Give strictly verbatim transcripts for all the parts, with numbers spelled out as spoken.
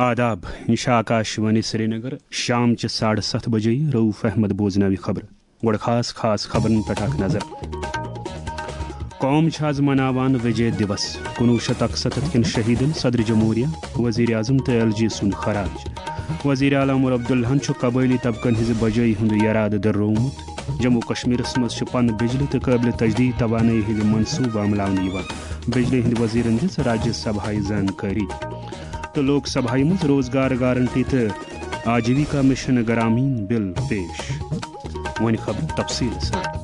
آداب، یہِ چھِ آکاش وانی سرینگر۔ شام چہِ ساڑٕ ستھ بجے رؤف احمد بوزناوِ خبرٕ۔ گۄڈٕ خاص خاص خبرن پٮ۪ٹھ اکھ نظر۔ قوم چھِ آز مناوان وجے دیوس، کُنوُہ شیٚتھ اکستتھ کٮ۪ن شہیدن صدر جمہوریہ، وزیر اعظم تہٕ ایل جی سُنٛد خراج۔ وزیر اعلیٰ عمر عبداللہن چھُ قبٲئلی طبقن ہٕنٛزِ بجٲیی ہُنٛد یرادٕ دۄہروومُت۔ جموں کشمیرس منٛز چھِ پن بجلی تہٕ قٲبلِ تجدید توانٲیی ہٕنٛدۍ منصوٗبہٕ عملاونہٕ یِوان۔ بجلی ہٕنٛدۍ وزیرن دِژ راجیہ سبھایہ زانکٲری۔ تہٕ لوک سبھایہ منٛز روزگار گارنٹی تہٕ آجیویکا مشن گرامین بل پیش۔ وۄنۍ خبرٕ تفصیٖل سان۔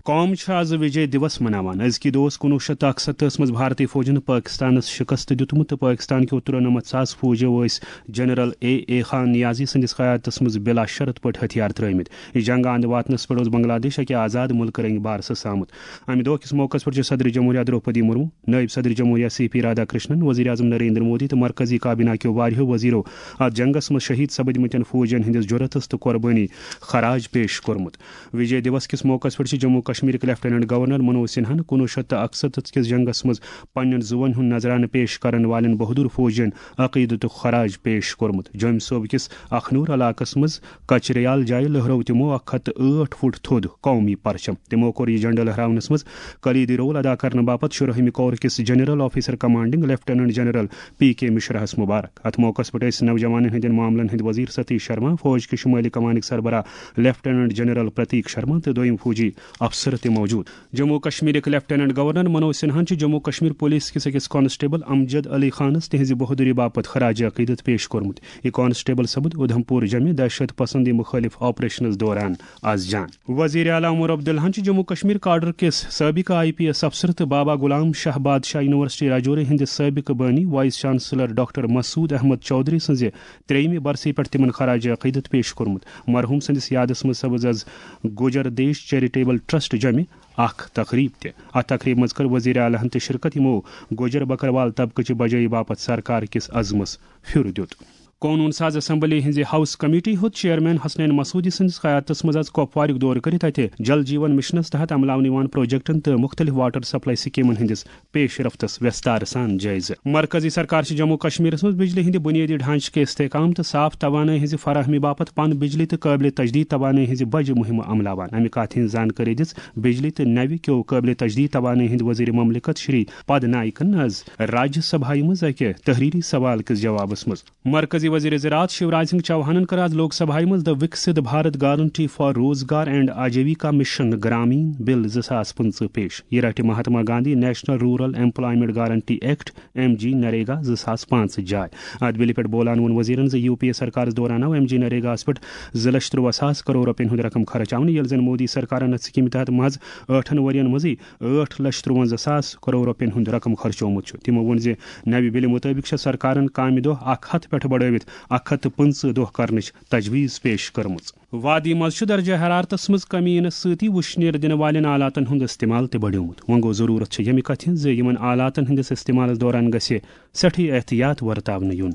قوم چھِ آز وجے دیوس مناوان۔ أزکہِ دۄہ اوس کُنوُہ شیٚتھ تہٕ اکستتھس منٛز بھارتی فوجن پٲکستانس شکست دیُتمُت تہٕ پٲکستان کیو ترُنمتھ ساس فوجیو ٲسۍ جنرل اے اے خان نیازی سٕنٛدِس قیادتس منٛز بلا شرط پٲٹھۍ ہتھیار ترٲومٕتۍ۔ یہِ جنگ اند واتنس پٮ۪ٹھ اوس بنگلہ دیش اکہِ آزاد مُلکہٕ رنگہِ بارسس آمُت۔ امہِ دۄہ کِس موقعس پٮ۪ٹھ چھِ صدر جمہوریہ درٛوپدی مرمو، نٲیِب صدر جمہوریہ سی پی رادھا کرشنن، وزیر اعظم نریندر مودی تہٕ مرکزی کابینہ کیو واریاہو وزیرو اتھ جنگس منٛز شہید سپدمٕتٮ۪ن فوجین ہٕنٛدِس جرأتس تہٕ قربٲنی خراج پیش کوٚرمُت۔ وجے دیوس کِس موقعس پٮ۪ٹھ چھِ جموں کشمیرٕکۍ لیفٹیننٹ گورنر منوج سنہاہن کُنوُہ شیٚتھ تہٕ اکستتھ کِس جنگس منٛز پننٮ۪ن زُوَن ہُنٛد نذرانہٕ پیش کرن والٮ۪ن بہادر فوجین عقیدتُک خراج پیش کوٚرمُت۔ جوٚمۍ صوبہٕ کِس اخنور علاقس منٛز کچریال جایہِ لٔہرٲو تِمو اکھ ہتھ تہٕ ٲٹھ فُٹ تھوٚد قومی پرچم۔ تِمو کوٚر یہِ جھنڈٕ لہراونس منٛز کلیدی رول ادا کرنہٕ باپتھ شُرٲہمہِ کورٕ کِس general officer commanding lieutenant general P K مشراہس مبارک۔ اتھ موقعس پٮ۪ٹھ ٲسۍ نوجوانن ہٕنٛدٮ۪ن معاملن ہٕنٛدۍ وزیر ستیش شرما، فوج کہِ شمٲلی کمانٕکۍ سربراہ لیفٹیننٹ جنرل پرتیک شرما تہٕ دوٚیِم فوجی افسر تہِ موجود۔ جموں کشمیرٕکۍ لیفٹیننٹ گورنر منوج سنہاہن چھُ جموں کشمیر پولیس کِس أکِس کانسٹیبل امجد علی خانس تِہنٛزِ بہادری باپتھ خراج عقیدت پیش کوٚرمُت۔ یہِ کانسٹیبل سپُد اُدھمپور جمہِ دہشت پسندی مخٲلف آپریشنس دوران از جان۔ وزیر اعلیٰ عمر عبداللہن چھُ جموں کشمیر کاڈر کِس سٲبقہٕ آئی پی ایس افسر تہٕ بابا غلام شاہ بادشاہ یونیورسٹی راجوری ہٕنٛدِ سٲبقہٕ بٲنی وائس چانسلر ڈاکٹر مسعود احمد چودھری سٕنٛزِ ترٛیٚیِمہِ برسی پٮ۪ٹھ تِمن خراج عقیدت پیش کوٚرمُت۔ مرحوم سٕنٛدِس یادس منٛز سپٕز از گوجر دیش چیریٹیبل ٹرسٹ جمہِ اکھ تقریب تہِ۔ اتھ تقریبہِ منٛز کٔر وزیر اعلیٰ ہن تہِ شرکت، یِمو گوجر بکروال طبقہٕ چہِ بجٲیی باپتھ سرکار کِس عزمس پھیُر دیُت۔ قونوٗن ساز اسمبلی ہٕنٛزِ ہاؤس کمیٹی ہُنٛد چیئرمین حسنین مسعودی سٕنٛدِس قیادتس منٛز آز کۄپوارُک دورٕ کٔرِتھ اتہِ جل جیون مشنس تحت عملاونہٕ یِوان پروجیکٹن تہٕ مُختٔلِف واٹر سپلائی سکیمن ہٕنٛدِس پیش رفتس ویستار سان جٲیزٕ۔ مرکزی سرکار چھِ جموں کشمیرس منٛز بجلی ہٕنٛدِ بنیٲدی ڈھانچہٕ کہِ استحکام تہٕ صاف توانٲیی ہٕنٛزِ فراہمی باپتھ پن بجلی تہٕ قٲبلِ تجدید توانٲیی ہٕنٛزِ بجہِ مُہِمہٕ عملاوان۔ امہِ کتھ ہٕنٛز زانکٲری دِژ بجلی تہٕ نوِ کیو قٲبلِ تجدید توانٲیی ہٕنٛدِ وزیر مملکت شری پد نائکن از راجیہ سبھایہ منٛز اکہِ تحریری سوال کِس جوابس منٛز۔ مرکزی وزیر زراعت شیوراج سنگھ چوہانن کٔر آز لوک سبھایہ منٛز The Viksit Bharat Guarantee for Rozgar and Ajivika Mission Grameen بل زٕ ساس پٕنٛژٕہ پیش۔ یہِ رٹہِ Mahatma Gandhi national rural employment guarantee act, M G NREGA, زٕ ساس پانٛژھ جاے۔ اتھ بلہِ پٮ۪ٹھ بولان ووٚن وزیرن زِ یو پی اے سرکارس دوران آو ایم جی نریگاہس پٮ۪ٹھ زٕ لچھ ترٛواہ ساس کرور رۄپین ہُنٛد رقم خرچاونہٕ، ییٚلہِ زن مودی سرکارن اتھ سکیمہِ تحت محض ٲٹھن ؤرین منٛزٕے ٲٹھ لچھ ترٛونزہ ساس کرور رۄپین ہُنٛد رقم خرچومُت چھُ۔ تِمو ووٚن زِ نوِ بلہِ مُطٲبِق چھےٚ سرکارن کامہِ دۄہ اکھ ہتھ پٮ۪ٹھ بڑٲوِتھ اکھ ہتھ تہٕ پٕنٛژٕہ دۄہ کرنٕچ تجویز پیش کٔرمٕژ۔ وادی منٛز چھُ درجہ حرارتس منٛز کمی یِنہٕ سۭتی وُشنیر دِنہٕ والٮ۪ن آلاتن ہُنٛد استعمال تہِ بڑیومُت۔ وۄنۍ گوٚو، ضروٗرت چھِ ییٚمہِ کتھِ ہٕنٛز زِ یِمن آلاتن ہٕنٛدِس استعمالس دوران گژھِ سٮ۪ٹھٕے احتیاط ورتاونہٕ یُن۔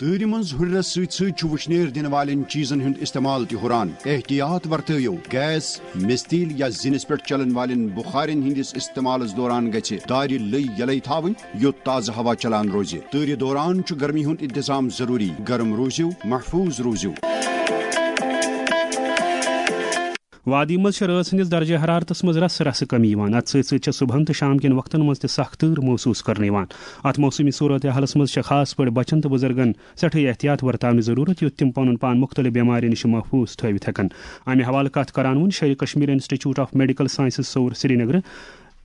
تۭرِ منٛز ہُرٮ۪رس سۭتۍ سۭتۍ چھُ وُشنیر دِنہٕ والٮ۪ن چیٖزن ہُنٛد استعمال تہِ ہُران۔ احتیاط ورتٲیِو، گیس، مِستیٖل یا زِنِس پٮ۪ٹھ چلن والٮ۪ن بُخارٮ۪ن ہٕنٛدِس استعمالس دوران گژھِ دارِ لٔۍ یلے تھاوٕنۍ، یوٚت تازٕ ہوا چلان روزِ۔ تۭرِ دوران چھُ گرمی ہُنٛد انتظام ضروٗری۔ گرم روٗزِو، محفوٗظ روٗزِو۔ وادی منٛز چھِ رٲژ ہٕنٛدِس درجہ حرارتس منٛز رس رسہٕ کمی یِوان۔ اتھ سۭتۍ سۭتۍ چھےٚ صبحن تہٕ شام کٮ۪ن وقتن منٛز تہِ سخ تۭر محسوٗس کرنہٕ یِوان۔ اتھ موسمی صورتحالس منٛز چھےٚ خاص پٲٹھۍ بچن تہٕ بُزرگن سٮ۪ٹھٕے احتیاط ورتاونٕچ ضروٗرت، یُتھ تِم پنُن پان مُختٔلِف بٮ۪مارٮ۪ن نِش محفوٗظ تھٲوِتھ ہٮ۪کن۔ امہِ حوالہٕ کتھ کران ووٚن Sher-e Kashmir institute of medical sciences Soura سرینگرٕ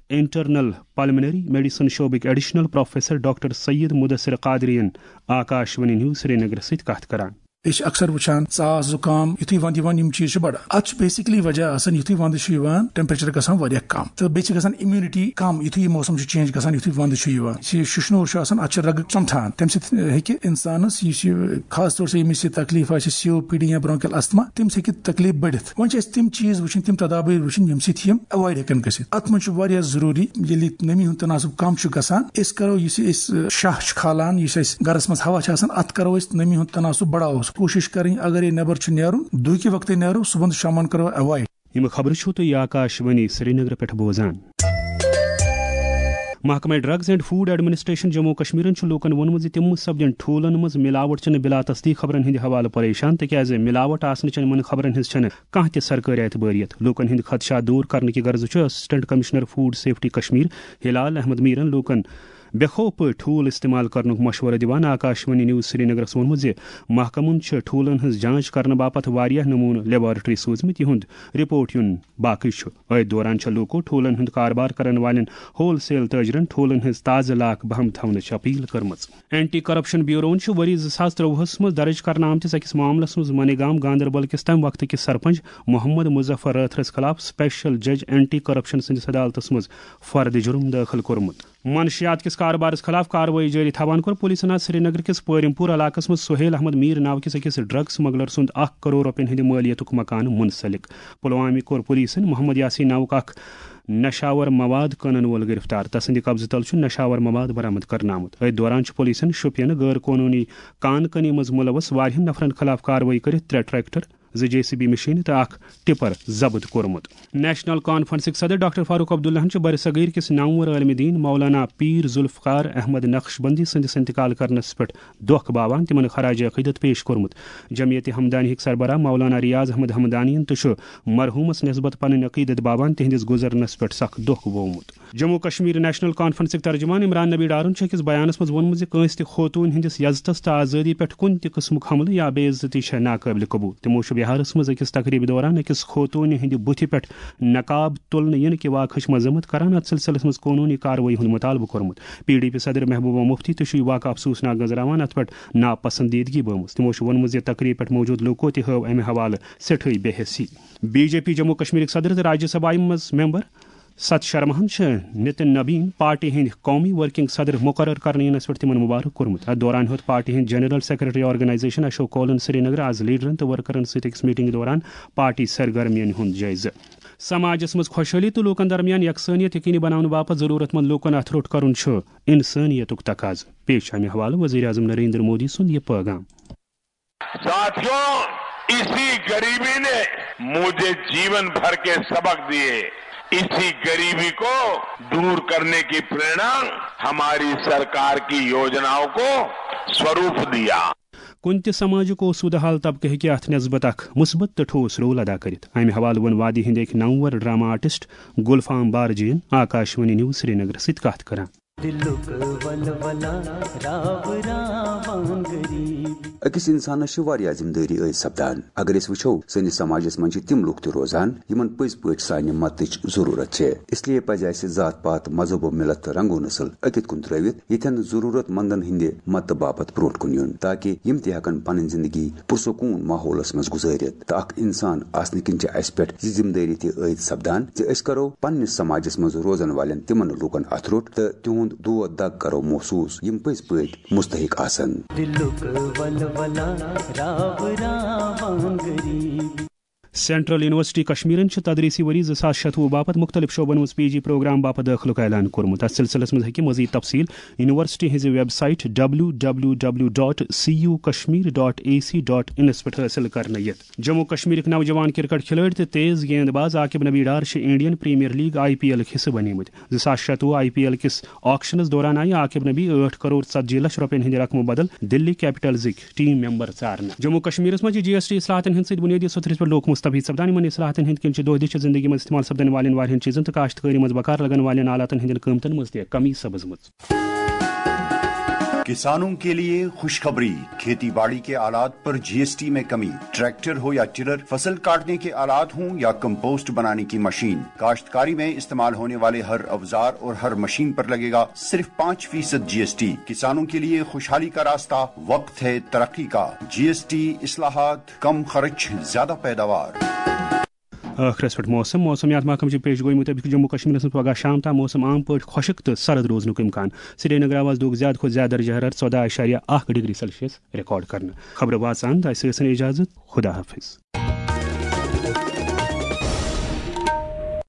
انٹرنل پلمنری میڈیسن شعبٕکۍ additional professor doctor Syed Mudasir Qadri ین آکاش وانی نیوز سرینگرٕ سۭتۍ کتھ کران۔ أسۍ چھِ اکثر وٕچھان ژاس، زُکام، یُتھُے ونٛدٕ یِوان، یِم چیٖز چھِ بڑان۔ اتھ چھُ basically وجہ آسان، یُتھُے ونٛدٕ چھُ یِوان، temperature گژھان واریاہ کم، تہٕ بیٚیہِ چھِ گژھان immunity کم، یُتھُے یہِ موسم چھُ change گژھان، یُتھُے ونٛدٕ چھُ یِوان، یُس یہِ شِشنوٗر چھُ آسان، اتھ چھِ رگہٕ ژۄمٹھان، تمہِ سۭتۍ ہیٚکہِ انسانس، یُس یہِ خاص طور سے ییٚمِس یہِ تکلیف آسہِ، سی او پی ڈی یا bronchial asthma، تٔمِس ہیٚکہِ تکلیف بٔڑِتھ۔ وۄنۍ چھِ اَسہِ تِم چیٖز وٕچھِنۍ، تِم تدابیر وٕچھِنۍ، ییٚمہِ سۭتۍ یِم avoid ہیٚکن گٔژھِتھ۔ اتھ منٛز چھُ واریاہ ضروٗری، ییٚلہِ نٔمی ہُنٛد تناسب کم چھُ گژھان، أسۍ کرو، یُس یہِ أسۍ شاہ چھُ کھالان، یُس اَسہِ گرس منٛز ہوا چھُ آسان، اتھ کرو أسۍ نٔمی ہُنٛد تناسب بڑاوو۔ کوٗشِش کرٕنۍ، اگر یہِ نٮ۪بر چھُ نیرُن، دُہکہِ وقتہٕ نیرو، صبحن تہٕ شامن کرو avoid۔ یِم خبرٕ چھِو تُہۍ آکاش وانی سرینگرٕ پٮ۪ٹھ بوزان۔ محکمہ drugs and food administration Jammu و کشمیرن چھُ لوٗکن ووٚنمُت زِ تِم سپدن ٹھوٗلن منٛز ملاوٹ چنہٕ بلا تصدیق خبرن ہٕنٛدِ حوالہٕ پریشان، تِکیازِ ملاوٹ آسنہٕ چٮ۪ن یِمن خبرن ہٕنٛز چھنہٕ کانٛہہ تہِ سرکٲرۍ اعتبٲریت۔ لوٗکن ہٕنٛدۍ خدشات دوٗر کرنہٕ کہِ غرضہٕ چھُ assistant commissioner food safety Kashmir Hilal Ahmad میرن لوٗکن بے خوف پٲٹھۍ ٹھوٗل استعمال کرنُک مشورٕ دِوان۔ آکاشوانی نیوز سرینگرس ووٚنمُت زِ محکمن چھِ ٹھوٗلن ہٕنٛز جانچ کرنہٕ باپتھ واریاہ نموٗنہٕ لیبارٹری سوٗزمٕتۍ، یِہُنٛد رپورٹ یُن باقٕے چھُ۔ أتھۍ دوران چھےٚ لوٗکو ٹھوٗلن ہُنٛد کاربار کرن والٮ۪ن ہول سیل تاجرن ٹھوٗلن ہٕنٛز تازٕ لاکھ بہم تھاونٕچ اپیل کٔرمٕژ۔ اینٹی کرپشن بیوروہن چھُ ؤری زٕ ساس ترٛۆوُہس منٛز درٕج کرنہٕ آمتِس أکِس معاملس منٛز منی گام گاندربل کِس تَمہِ وقتہٕ کِس سرپنچ محمد مظفر رٲتھرس خلاف سپیشل جج اینٹی کرپشن سٕنٛدِس عدالتس منٛز فرد جرم دٲخل کوٚرمُت۔ منشیات کِس کاربارس خلاف کاروٲیی جٲری تھاوان کوٚر پولیسن آز سرینگر کِس پٲرِم پوٗر علاقس منٛز سہیل احمد میٖر ناو کِس أکِس ڈرگ سمگلر سُنٛد اکھ کرور رۄپین ہٕنٛدِ مٲلیتُک مکان منسلک۔ پلوامہِ کوٚر پولیسن محمد یاسین ناوُک اکھ نشاور مواد کٕنن وول گرفتار۔ تسٕنٛدِ قبضہٕ تل چھُ نشاور مواد برآمد کرنہٕ آمُت۔ أتھۍ دوران چھُ پولیسن شوپینہٕ غٲر قونوٗنی کان کنی منٛز مُلوث واریاہن نفرن خلاف کاروٲیی کٔرِتھ ترٛےٚ ٹریکٹر، زٕ جے سی بی مشینہٕ تہٕ اکھ ٹپر ضبط کوٚرمُت۔ نیشنل کانفرنسٕکۍ صدر ڈاکٹر فاروق عبداللہن چھُ برصغیر کِس نامور عالمِ دین مولانا پیٖر ذوالفقار احمد نقشبندی سٕنٛدِس انتقال کرنس پٮ۪ٹھ دۄکھ باوان تِمن خراج عقیدت پیش کوٚرمُت۔ جمعیت ہمدانی ہٕکۍ سربراہ مولانا ریاض احمد ہمدانین تہِ چھُ مرحوٗمس نسبت پنٕنۍ عقیدت باوان تِہنٛدِس گُزرنس پٮ۪ٹھ سخ دۄکھ بوومُت۔ جموں کشمیر نیشنل کانفرنسٕکۍ ترجمان عمران نبی ڈارن چھُ أکِس بیانس منٛز ووٚنمُت زِ کٲنٛسہِ تہِ خوتوٗنہِ ہٕنٛدِس یزتس تہٕ آزٲدی پٮ۪ٹھ کُنہِ تہِ قٕسمُک حملہٕ یا بے عزتی چھےٚ ناقٲبلِ قبول۔ تِمو چھُ بہارس منٛز أکِس تقریبہِ دوران أکِس خوتوٗنہِ ہٕنٛدِ بُتھِ پٮ۪ٹھ نقاب تُلنہٕ یِنہٕ کہِ واقعٕچ مذمت کران اتھ سلسلس منٛز قونوٗنی کاروٲیی ہُنٛد مطالبہٕ کوٚرمُت۔ پی ڈی پی صدر محبوبہ مفتی تہِ چھُ یہِ واقعہٕ افسوسناک نظراوان۔ اتھ پٮ۪ٹھ ناپسندیدگی بٲومٕژ۔ تِمو چھُ ووٚنمُت زِ تقریبہِ پٮ۪ٹھ موجود لوٗکو تہِ ہٲو امہِ حوالہٕ سٮ۪ٹھٕے بے حسی۔ بی جے پی جموں کشمیرٕکۍ صدر تہٕ راجیہ سبھایہ منٛز ممبر ست شرماہن چھِ نتن نبین پارٹی ہٕنٛدۍ قومی ورکنگ صدر مقرر کرنہٕ ینس پٮ۪ٹھ تِمن مبارک کوٚرمُت۔ اتھ دوران ہیوٚت پارٹی ہٕنٛدۍ جنرل سیکرٹری آرگنائزیشن اشوک کولن سرینگر آز لیڈرن تہٕ ورکرن سۭتۍ أکِس میٹنگ دوران پارٹی سرگرمین ہُنٛد جٲیزٕ۔ سماجس منٛز خۄشحٲلی تہٕ لوٗکن درمیان یکسانیت یقینی بناونہٕ باپتھ ضروٗرت مند لوٗکن اتھ روٚٹ کرُن چھُ انسٲنیتُک تقاضہٕ۔ پیش چھُ امہِ حوالہٕ وزیر اعظم نریندر مودی سُنٛد یہِ پٲغام۔ साथियों, इसी गरीबी ने मुझे जीवन भर के सबक दिए। इसी गरीबी को दूर करने की प्रेरणा हमारी सरकार की योजनाओं को स्वरूप दिया। کُنہِ تہِ سماجُک اوسوٗدٕ حال طبقہٕ ہیٚکہِ اتھ نسبت اکھ مثبت تہٕ ٹھوس رول ادا کٔرِتھ۔ امہِ حوالہٕ ووٚن وادی ہٕنٛدۍ أکۍ نامور ڈرامہ آرٹسٹ گلفام بارجین آکاشوانی نیوز سرینگرس سۭتۍ کتھ کران۔ دلُک ولولہ راو راوان غریب۔ أکِس اِنسانَس چھِ واریاہ ذِمہٕ دٲری عٲید سپدان۔ اگر أسۍ وٕچھو، سٲنِس سماجس منٛز چھِ تِم لُکھ تہِ روزان، یِمن پٔزۍ پٲٹھۍ سانہِ مدتٕچ ضروٗرت چھِ۔ اس لیے پزِ اسہِ ذات پات، مذہب و ملت تہٕ رنگ و نسل أکِتھ کُن ترٲوِتھ، ییٚتٮ۪ن ضروٗرت مندن ہٕنٛدِ مدتہٕ باپتھ برونٛٹھ کُن یُن، تاکہ یِم تہِ ہٮ۪کن پنٕنۍ زندگی پرسکوٗن ماحولس منٛز گُزٲرِتھ۔ تہٕ اکھ اِنسان آسنہٕ کِنۍ چھِ اسہِ پٮ۪ٹھ یہِ ذِمہٕ دٲری تہِ عٲید سپدان زِ أسۍ کرو پننِس سماجس منٛز روزن والٮ۪ن تِمن لوٗکن اتھٕ روٚٹ تہٕ تِہُنٛد دود دگ کرو محسوٗس، یِم پٔزۍ پٲٹھۍ مستحق آسن۔ دلُک ولولہ راو راوان غریب۔ سینٹرل یونیورسٹی کشمیرن چھُ تدریسی ؤری زٕ ساس شتوُہ باپتھ مُختٔلِف شعبن منٛز پی جی پروگرام باپتھ دٲخلُک اعلان کوٚرمُت۔ اتھ سلسلس منٛز ہیٚکہِ مزید تفصیل یونیورسٹی ہٕنٛزِ website W W W dot C U Kashmir dot A C dot انس پٮ۪ٹھ حٲصِل کرنہٕ یِتھ۔ جموں کشمیرٕکۍ نوجوان کرکٹ کھلٲڑۍ تہٕ تیز گیند باز عاقب نبی ڈار چھِ Indian premier league I P ایلٕکۍ حصہٕ بنیمٕتۍ۔ زٕ ساس شتوُہ آئی پی ایل کِس آکشنس دوران آیہِ عاقب نبی ٲٹھ کرور ژتجی لچھ رۄپین ہٕنٛدِ رقمہٕ بدل دِلی کیپٹلزٕکۍ ٹیم ممبر ژارنہٕ۔ جموں کشمیرس منٛز چھِ جی ایس ٹی اصلاحاتن ہٕنٛدۍ سۭتۍ بُنیٲدی سطحس پٮ۪ٹھ لوٗکھ مستفید سپدان۔ یِمن اصلاحاتن ہٕنٛدۍ کِنۍ چھِ دۄہ دِش زندگی منٛز استعمال سپدن والٮ۪ن واریاہن چیٖزن تہٕ کاشتکٲری منٛز بکار لگن والٮ۪ن آلاتن ہٕنٛدٮ۪ن قۭمتن منٛز تہِ کمی سپٕزمٕژ۔ کسانوں کے لیے خوشخبری، کھیتی باڑی کے آلات پر جی ایس ٹی میں کمی، ٹریکٹر ہو یا ٹلر، فصل کاٹنے کے آلات ہوں یا کمپوسٹ بنانے کی مشین، کاشتکاری میں استعمال ہونے والے ہر اوزار اور ہر مشین پر لگے گا صرف پانچ فیصد جی ایس ٹی۔ کسانوں کے لیے خوشحالی کا راستہ، وقت ہے ترقی کا، جی ایس ٹی اصلاحات، کم خرچ، زیادہ پیداوار۔ ٲخرس پٮ۪ٹھ موسم۔ موسمیات محکمہٕ چہِ پیش گویی مُطٲبِق چھُ جموں کشمیرس منٛز پگہہ شام تام موسم عام پٲٹھۍ خۄشک تہٕ سرد روزنُک امکان۔ سرینگر آو آز دۄہُک زیادٕ کھۄتہٕ زیادٕ درجہ حرارت ژۄداہ اعشاریہ اکھ ڈگری سیلسیس ریکارڈ کرنہٕ۔ خبرٕ واژان تہٕ اسہِ ٲسن اجازت۔ خدا حافظ۔